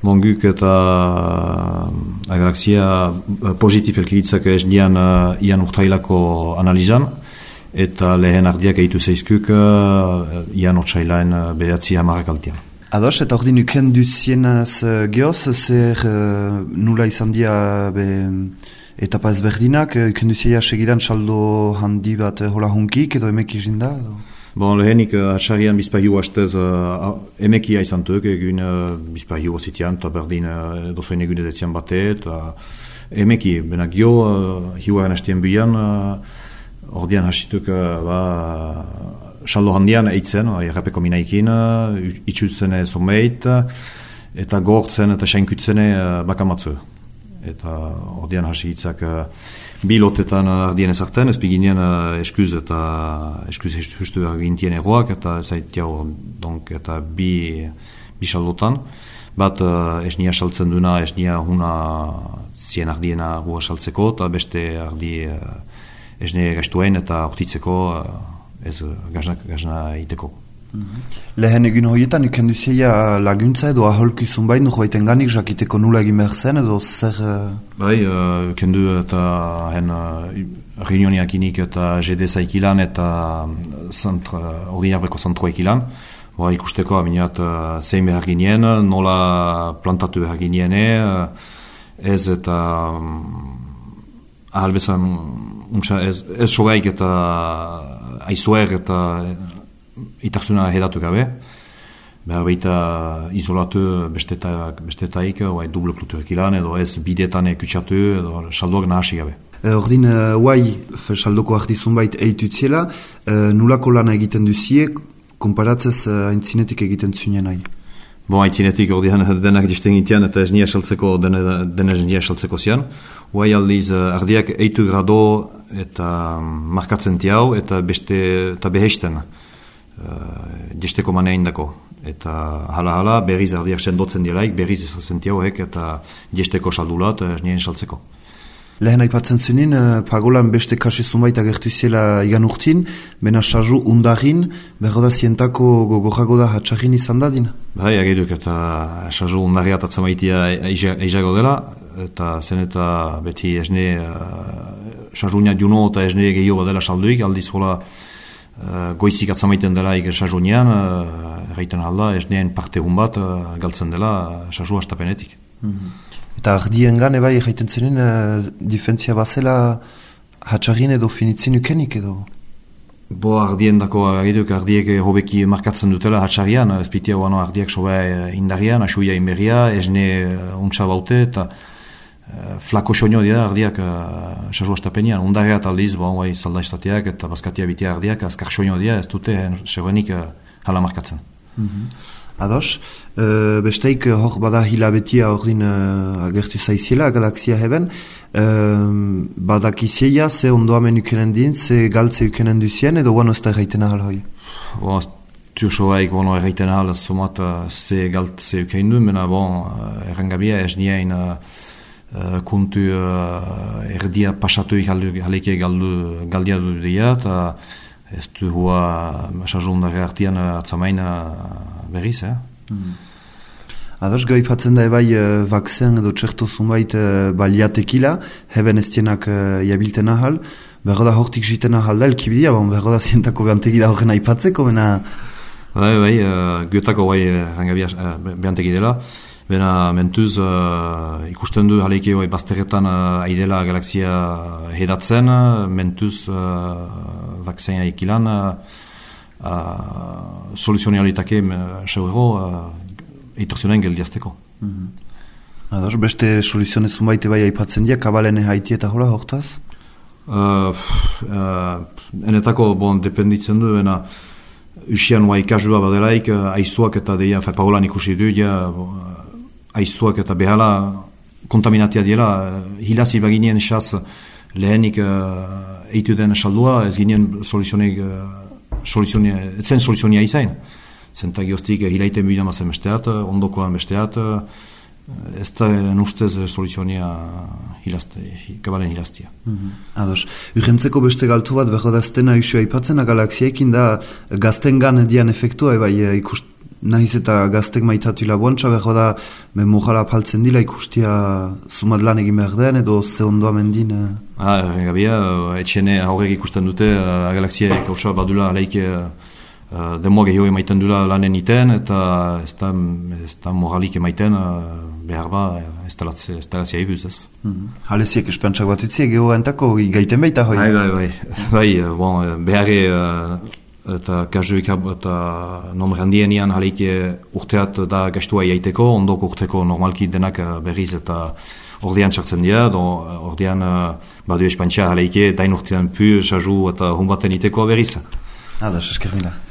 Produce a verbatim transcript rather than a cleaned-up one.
Bon, guk eta a galaxia positif elkiritzak ez dian uh, ian urtailako analizan, eta lehen ardiak eitu zeizkuk uh, ian urtsailaen uh, behatzi hamarrak altian. Ados, eta ordin uken duzienaz uh, geoz, zer uh, nula izan dia be, etapa ezberdinak, uh, uken duzia segidan saldo handi bat uh, hola hunkik edo emek izin da? Edo? Bon, lehenik uh, atxarrian bizpahiu hastez uh, emekia izan tuk, egun uh, bizpahiu zitian, eta berdin uh, dozoin egun ezetzian bate, eta emeki, benak gio, uh, hiuaren hastien bian, uh, ordean hasituk uh, ba, saldo handian eitzen, uh, errapeko minaikin, uh, itxutzen zonbeit, eta gortzen eta sainkutzen uh, bakamatzu. Eta ordean hasi hitzak uh, bi lotetan ardien ezartzen, ez biginean uh, eskuz eta eskuz justu egintien egoak, eta zaitiago, donc, eta bi, bi saldotan. Bat uh, esnia saltzen duna, esnia huna zien ardiena gua saltzeko, eta beste ardi uh, esne gaiztuen eta ortitzeko uh, ez gazna, gazna iteko. Lehen egin horietan, uken duzia laguntza edo aholkizun bai, nuko baiten ganik, jakiteko nula egin behar zen, edo zer... Bai, uh, uken du eta hen uh, reunioniak inik eta G D zaikilan eta ordinarbeko zentroek ilan. Ba, ikusteko, aminat, uh, zein behar ginien, nola plantatu behar giniene, uh, ez eta um, ahal bezan, ez, ez sogaik eta aizuer eta itarzuna hedatu gabe, behar baita izolatu bestetaik, bestetaik oai, duble kluturek ilan, edo ez bidetan kutsatu, edo saldoak nahasi gabe. E, ordin, guai, uh, saldoko ardizun bait eitutziela, uh, nulako lana egiten duzie, konparatzez uh, aintzinetik egiten zunen nahi? Bon, aintzinetik ordean denak disten gitean, eta ez nia saltzeko, dena ez nia saltzeko zian. Guai aldiz, uh, ardiak eitu grado eta markatzen tiau, eta beste, eta behesten. Uh, desteko manein dako. Eta hala-hala berriz ardiak sendotzen dielaik, berriz ezatzen tiauek eta desteko saldulat ez nien saltzeko. Lehen aipatzen zunin, uh, pagolan beste kasizun baita gertu ziela igan urtin, bena sarru undarin, berro da zientako gogorago da hatxarrin izan dadin? Bai, ageduk eta sarru undarri atatzen baitia eizago dela, eta zen eta beti esne uh, sarrunia juno eta esne gehiago dela salduik, aldiz hola Uh, goizik atzamaiten dela ikasajunian, uh, erraiten alda, esnean parte hon bat uh, galtzen dela uh, sasu astapenetik. Mm-hmm. Eta ardien gane bai erraiten zenen, uh, difentzia bazela hatxarrin edo finitzen ukenik edo? Bo ardien dako agiduk ardiek hobeki markatzen dutela hatxarrian, ezpitia guano ardiak soba indarian, asuia inberria, esne uh, untsa baute, eta Uh, flako soño dira ardiak uh, sasu astapenian, undarrea taldiz, bon, bai, salda estateak eta bazkatia bitia ardiak, azkar soño dira, ez dute, seguenik uh, hala markatzen. Mm-hmm. Ados, uh, besteik hor bada hilabetia ordin uh, agertu zaiziela, galaxia heben, uh, badak izieia, ze ondoamen ukenen din, ze galtze ukenen duzien, edo guano ez da erraiten ahal hoi? Bon, tuursoaik guano erraiten ahal, somat uh, ze galtze ukenen duen, mena bon, uh, errangabia ez nien uh, Uh, kuntu uh, erdia pasatuik haleke galdu, galdia du dira, eta ez du hua sarrundare artian uh, atzamaina berriz, eh? Mm. Ados, gaipatzen da ebai uh, vakzen edo txerto zunbait uh, baliatekila, heben ez tienak uh, jabilten ahal, berro da hortik jiten ahal da, elkibidia, bon, berro da zientako behantegi da horren aipatzeko, bena... Bai, bai, uh, götako bai rangabia uh, behantegi dela, bena mentuz uh, ikusten du haleike hoi bazterretan uh, aidela galaxia hedatzen, mentuz uh, vakzein aikilan uh, uh, soluzionealitake seurro uh, eitorzionen geldiazteko. Mm-hmm. Ados, beste soluzionezun baite bai aipatzen dia, kabalene haiti eta hola hortaz? Uh, uh, enetako, bon, dependitzen du, bena usian hoa ikasua badelaik, uh, aizuak eta deia, fe pagolan ikusi du, ja, uh, aizuak eta behala kontaminatia diela, hilazi baginien esaz lehenik uh, eitu den saldua, ez ginen soluzionek, uh, soluzionia, etzen soluzionia izain. Zenta gioztik hilaiten bidea mazen besteat, ondokoan besteat, uh, ez da nustez soluzionia hilazte, kabalen hilaztia. Mm-hmm. Ados, urrentzeko beste galtu bat, behar da aztena usua ipatzen, galaxiaekin da gazten gan dian efektua, eba ikust nahiz eta gaztek maitatu labuantza, behar da, memorala paltzen dila ikustia zumat lan egin behar den, edo ze ondoa mendin? Eh? Ah, gabia, etxene aurrek ikusten dute, uh, galaxia kausa badula alaike uh, demoa gehiago emaiten dula lanen iten, eta ez da, ez da moralik emaiten uh, behar ba, ez talazia ibuz ez. Mm-hmm. Haleziek espantxak bat utziek geho entako gaiten baita hoi? Bai, bai, bai, bai, bon, beharre uh, eta kazuik eta nombre handienian haleike urteat da gastua iaiteko, ondoko urteko normalki denak berriz eta ordean txartzen dira, ordean uh, badu espantxa haleike dain urtean pu, sazu eta hunbaten iteko berriz. Adas, esker mila.